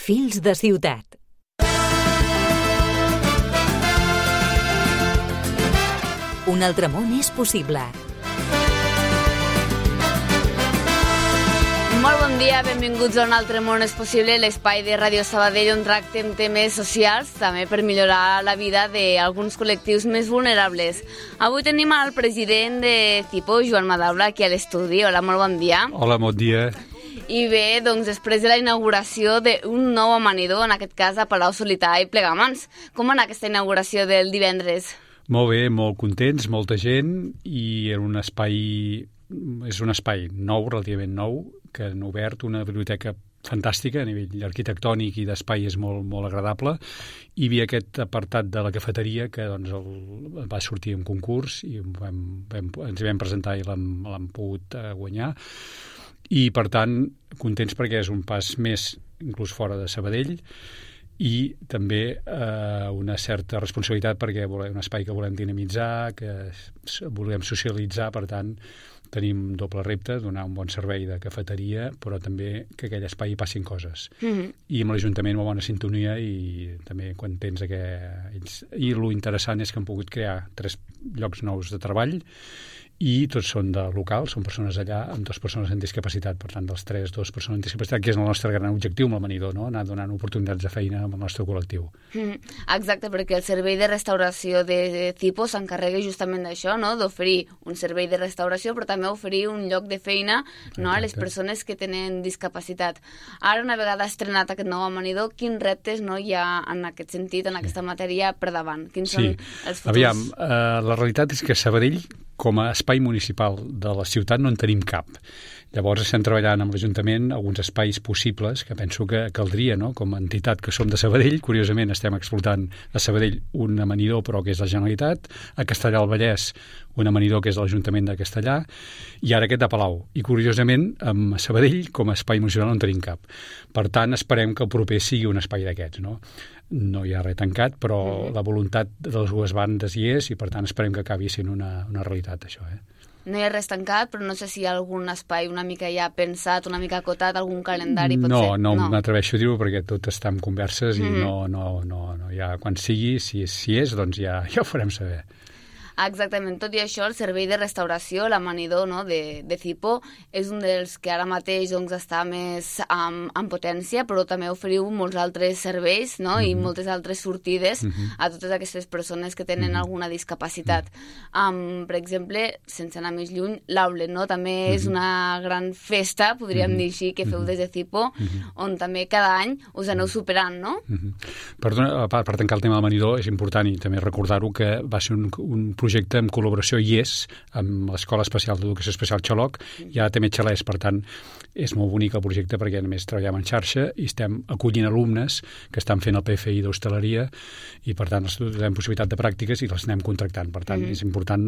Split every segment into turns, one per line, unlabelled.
Fils de ciutat. Un altre món és possible.
Molt bon dia, benvinguts a Un altre món és possible, l'espai de Ràdio Sabadell on tractem temes socials, també per millorar la vida d'alguns col·lectius més vulnerables. Avui tenim al president de CIPO, Joan Madaula, aquí a l'estudi. Hola, molt bon dia.
Hola, bon dia.
I bé, doncs després de la inauguració d'un nou amanidor, en aquest cas a Palau Solità i Plegamans. Com va anar aquesta inauguració del divendres?
Molt bé, molt contents, molta gent, i és un espai nou, relativament nou, que han obert una biblioteca fantàstica a nivell arquitectònic i d'espai és molt, molt agradable. Hi havia aquest apartat de la cafeteria que doncs, va sortir en concurs i ens hi vam presentar i l'hem pogut guanyar. I, per tant, contents perquè és un pas més, inclús fora de Sabadell, i també una certa responsabilitat perquè volem un espai que volem dinamitzar, que volem socialitzar, per tant, tenim doble repte, donar un bon servei de cafeteria, però també que aquell espai hi passin coses. I amb l'Ajuntament molt bona sintonia i també contents que ells... I lo interessant és que han pogut crear 3 llocs nous de treball i tots són de local, són persones allà amb 2 persones amb discapacitat, per tant dels 3, 2 persones amb discapacitat, que és el nostre gran objectiu amb l'amanidor, no? Anar donant oportunitats de feina amb el nostre col·lectiu.
Exacte, perquè el servei de restauració de CIPO s'encarrega justament d'això, no? D'oferir un servei de restauració, però també oferir un lloc de feina, no? A les persones que tenen discapacitat. Ara, una vegada estrenat aquest nou amanidor, quins reptes no hi ha en aquest sentit, en aquesta matèria per davant? Quins són els futurs?
Aviam, la realitat és que Sabadell, com a espai municipal de la ciutat, no en tenim cap. Llavors estem treballant amb l'Ajuntament alguns espais possibles que penso que caldria, no? Com a entitat que som de Sabadell, curiosament estem explotant a Sabadell un amanidor però que és la Generalitat, a Castellar del Vallès un amanidor que és l'Ajuntament de Castellar i ara aquest de Palau. I curiosament amb Sabadell com a espai municipal no en tenim cap. Per tant, esperem que el proper sigui un espai d'aquests, no? No hi ha res tancat, però la voluntat de les dues bandes hi és i, per tant, esperem que acabi sent una realitat, això.
No hi ha res tancat, però no sé si hi ha algun espai una mica ja pensat, una mica acotat, algun calendari, potser?
No m'atreveixo a dir-ho perquè tot està en converses i no hi ha... Quan sigui, si és, doncs ja ho farem saber.
Exactament. Tot i això, el servei de restauració, l'amanidor, no, de CIPO, és un dels que ara mateix doncs, està més en potència, però també oferiu molts altres serveis, no, i moltes altres sortides a totes aquestes persones que tenen alguna discapacitat. Per exemple, sense anar més lluny, l'Aulet, no, també és una gran festa, podríem dir així, que feu des de CIPO, on també cada any us aneu superant, no?
Perdona, per tancar el tema de l'amanidor, és important i també recordar-ho que va ser un projecte en col·laboració amb l'Escola Especial d'Educació Especial Xaloc i ara també Xalès, per tant és molt bonic el projecte perquè només treballem en xarxa i estem acollint alumnes que estan fent el PFI d'hostaleria i per tant tenim possibilitat de pràctiques i les anem contractant, per tant és important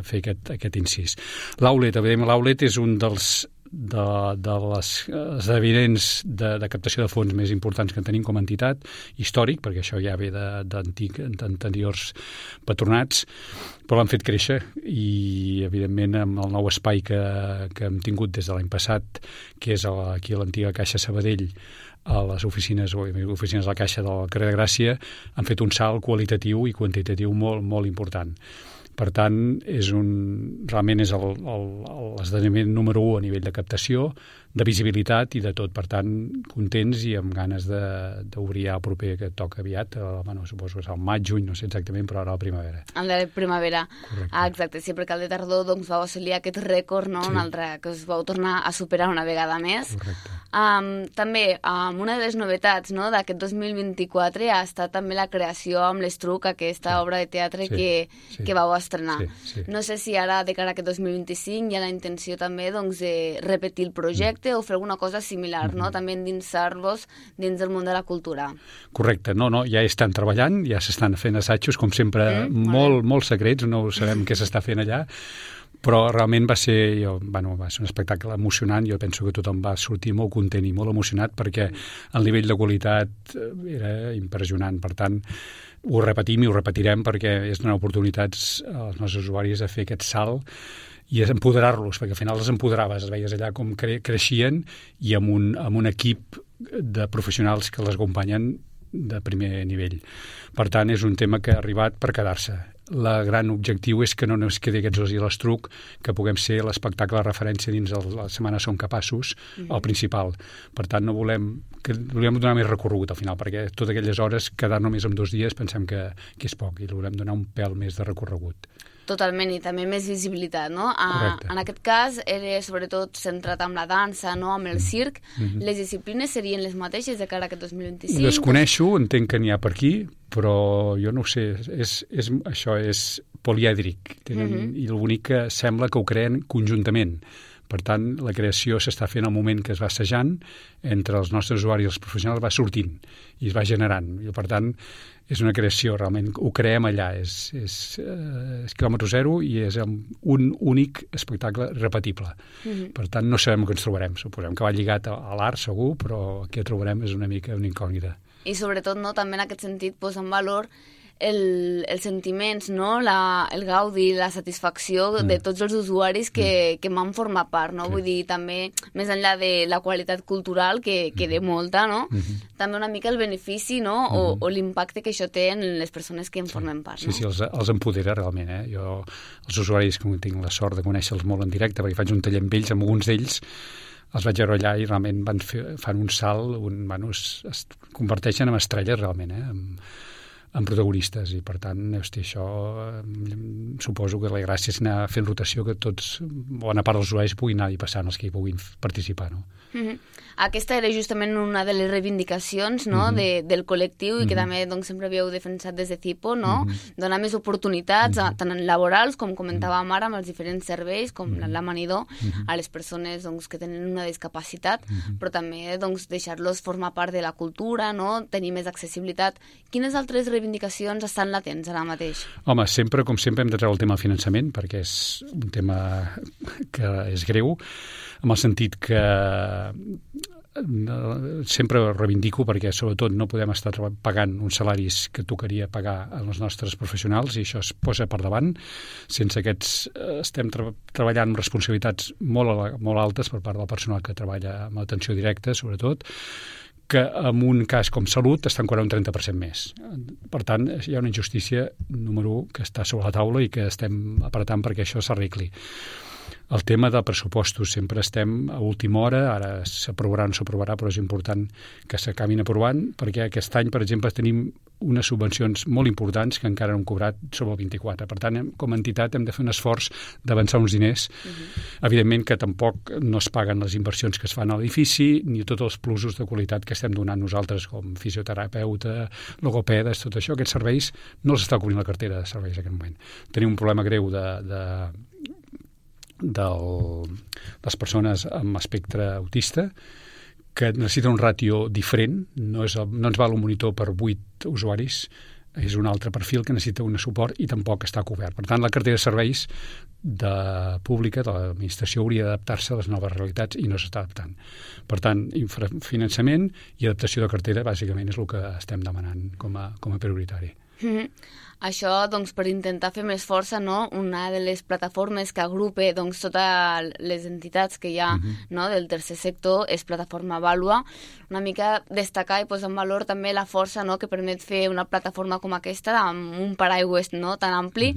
fer aquest incís. L'Aulet és un dels les esdeveniments de captació de fons més importants que tenim com a entitat, històric, perquè això ja ve d'anteriors patronats, però l'han fet créixer i, evidentment, amb el nou espai que hem tingut des de l'any passat, que és aquí a l'antiga Caixa Sabadell, a les oficines de la Caixa del carrer de Gràcia, han fet un salt qualitatiu i quantitatiu molt, molt important. Per tant, realment és l'esdeveniment número 1 a nivell de captació, de visibilitat i de tot. Per tant, contents i amb ganes d'obrir el proper que toca aviat. Suposo que és al maig, juny, no sé exactament, però ara a la primavera.
A la primavera.
Correcte.
Exacte, sí, perquè al de tardor doncs, vau assolir aquest rècord, no? Un altre que us vau tornar a superar una vegada més.
Correcte.
També, una de les novetats, no, d'aquest 2024 ha estat també la creació amb l'Estruc, aquesta obra de teatre que vau estrenar.
Sí.
No sé si ara, de cara a aquest 2025, hi ha la intenció també doncs, de repetir el projecte o fer alguna cosa similar, no? També endinsar-vos dins del món de la cultura.
Correcte. No, ja estan treballant, ja s'estan fent assajos, com sempre, molt secrets, no sabem què s'està fent allà, però realment va ser un espectacle emocionant. Jo penso que tothom va sortir molt content i molt emocionat perquè el nivell de qualitat era impressionant. Per tant, ho repetim i ho repetirem perquè és donar oportunitats als nostres usuaris a fer aquest salt i empoderar-los, perquè al final els empoderaves, els veies allà com creixien i amb un equip de professionals que les acompanyen de primer nivell. Per tant, és un tema que ha arribat per quedar-se. El gran objectiu és que no ens quedi aquests dos i l'estruc, que puguem ser l'espectacle de referència dins de la Setmana Som Capaços, el principal. Per tant, no volem donar més recorregut al final, perquè totes aquelles hores, quedar només en 2 dies, pensem que és poc, i volem donar un pèl més de recorregut.
Totalment, i també més visibilitat, no?
Correcte.
En aquest cas, era sobretot centrat amb la dansa, no? Amb el circ. Les disciplines serien les mateixes de cara a aquest 2025?
Desconeixo, entenc que n'hi ha per aquí, però jo no ho sé, això és polièdric, i l'únic que sembla que ho creen conjuntament. Per tant, la creació s'està fent al moment que es va assajant, entre els nostres usuaris i els professionals va sortint i es va generant. I, per tant, és una creació, realment, ho creem allà. És quilòmetre zero i és un únic espectacle repetible. Per tant, no sabem què ens trobarem. Suposem que va lligat a l'art, segur, però què trobarem és una mica una incògnita.
I sobretot, no, també en aquest sentit, posar en valor els sentiments, no? El gaudi, la satisfacció de tots els usuaris que m'han format part, no? Vull dir, també, més enllà de la qualitat cultural, que de molta, no? També una mica el benefici, no? O l'impacte que això té en les persones que en formen part, no?
Sí, els empodera realment, eh? Jo, els usuaris, que tinc la sort de conèixer-los molt en directe, perquè faig un taller amb ells, amb alguns d'ells, els vaig veure allà i realment fan un salt, es converteixen en estrelles realment, en protagonistes, i per tant, hosti, això suposo que la gràcia és anar fent rotació, que tots, bona part dels usuaris puguin anar-hi passant, els que hi puguin participar, no?
Aquesta era justament una de les reivindicacions, no? del col·lectiu, i que també doncs, sempre havíeu defensat des de CIPO, no? Donar més oportunitats, tant laborals, com comentàvem ara, amb els diferents serveis, com l'amanidor, a les persones doncs, que tenen una discapacitat, però també doncs, deixar-los formar part de la cultura, no? Tenir més accessibilitat. Quines altres reivindicacions estan latents ara mateix?
Home, sempre, com sempre, hem de treure el tema del finançament, perquè és un tema que és greu, en el sentit que sempre reivindico, perquè sobretot no podem estar pagant uns salaris que tocaria pagar als nostres professionals, i això es posa per davant. Sense aquests estem treballant amb responsabilitats molt altes per part del personal que treballa amb atenció directa, sobretot, que en un cas com salut estan cobrant un 30% més. Per tant, hi ha una injustícia, número 1, que està sobre la taula i que estem apretant perquè això s'arregli. El tema de pressupostos, sempre estem a última hora, ara s'aprovarà o no s'aprovarà, però és important que s'acabin aprovant, perquè aquest any, per exemple, tenim unes subvencions molt importants que encara no hem cobrat sobre el 24. Per tant, com a entitat hem de fer un esforç d'avançar uns diners. Evidentment que tampoc no es paguen les inversions que es fan a l'edifici, ni tots els plusos de qualitat que estem donant nosaltres, com fisioterapeuta, logopedes, tot això. Aquests serveis no els està cobrint la cartera de serveis en aquest moment. Tenim un problema greu de les persones amb espectre autista, que necessiten un ràtio diferent, no ens val un monitor per 8 usuaris, és un altre perfil que necessita un suport i tampoc està cobert. Per tant, la cartera de serveis pública de l'administració hauria d'adaptar-se a les noves realitats i no s'està adaptant. Per tant, infrafinançament i adaptació de cartera bàsicament és el que estem demanant com a prioritari.
Això, doncs, per intentar fer més força, no? Una de les plataformes que agrupa doncs, totes les entitats que hi ha no? del tercer sector és Plataforma Vàlua. Una mica destacar i posar en valor també la força no? que permet fer una plataforma com aquesta amb un paraigües no? tan ampli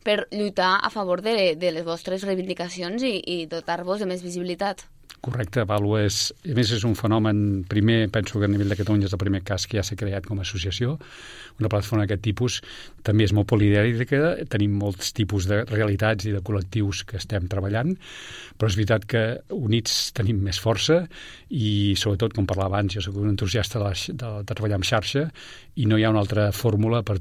per lluitar a favor de les vostres reivindicacions i dotar-vos de més visibilitat.
Correcte, Vàlua a més és un fenomen, primer, penso que a nivell de Catalunya és el primer cas que ja s'ha creat com a associació, una plataforma d'aquest tipus, també és molt polièdrica, tenim molts tipus de realitats i de col·lectius que estem treballant, però és veritat que units tenim més força i sobretot, com parlava abans, jo soc un entusiasta de treballar en xarxa i no hi ha una altra fórmula per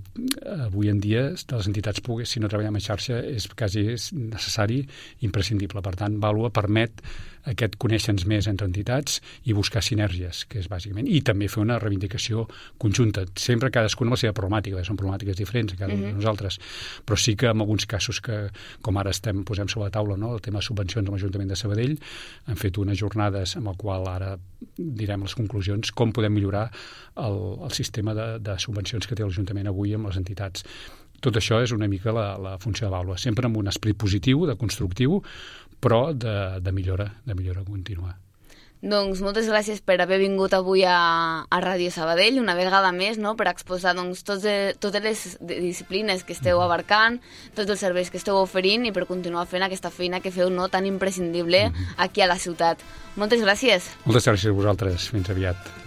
avui en dia de les entitats públiques, si no treballem en xarxa és quasi necessari, imprescindible. Per tant, Vàlua permet aquest conèixer-nos més entre entitats i buscar sinergies, que és bàsicament, i també fer una reivindicació conjunta, sempre cadascuna amb la seva problemàtica, són problemàtiques diferents a cada un de nosaltres, però sí que en alguns casos que, com ara posem sobre la taula, no? El tema de subvencions amb l'Ajuntament de Sabadell, hem fet unes jornades amb el qual ara direm les conclusions, com podem millorar el sistema de subvencions que té l'Ajuntament avui amb les entitats. Tot això és una mica la funció de Vàlua, sempre amb un esperit positiu, de constructiu, però de millora contínua.
Doncs moltes gràcies per haver vingut avui a Ràdio Sabadell, una vegada més, no?, per exposar totes les disciplines que esteu abarcant, tots els serveis que esteu oferint i per continuar fent aquesta feina que feu, no?, tan imprescindible aquí a la ciutat. Moltes gràcies.
Moltes gràcies a vosaltres. Fins aviat.